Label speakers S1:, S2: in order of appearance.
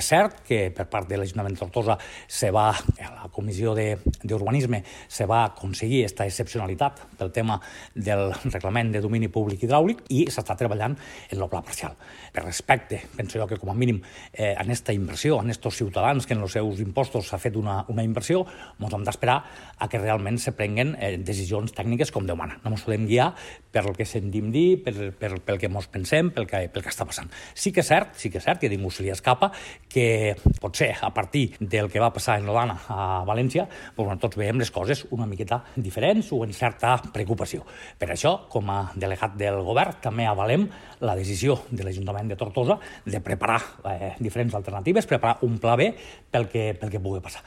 S1: És cert que per part de l'Ajuntament de Tortosa a la Comissió d'Urbanisme se va aconseguir aquesta excepcionalitat pel tema del reglament de domini públic hidràulic i s'està treballant en el pla parcial. Per respecte, penso jo que com a mínim en aquesta inversió, en aquests ciutadans que en els seus impostos s'ha fet una inversió, ens hem d'esperar a que realment se prenguen decisions tècniques com Déu mana. No ens podem guiar per el que sentim dir, pel que ens pensem, pel que està passant. Sí que és cert, que a ningú se li escapa que potser a partir del que va passar en l'Odana a València, tots veiem les coses una miqueta diferents o en certa preocupació. Per això, com a delegat del govern, també avalem la decisió de l'Ajuntament de Tortosa de preparar diferents alternatives, preparar un pla B pel que pugui passar.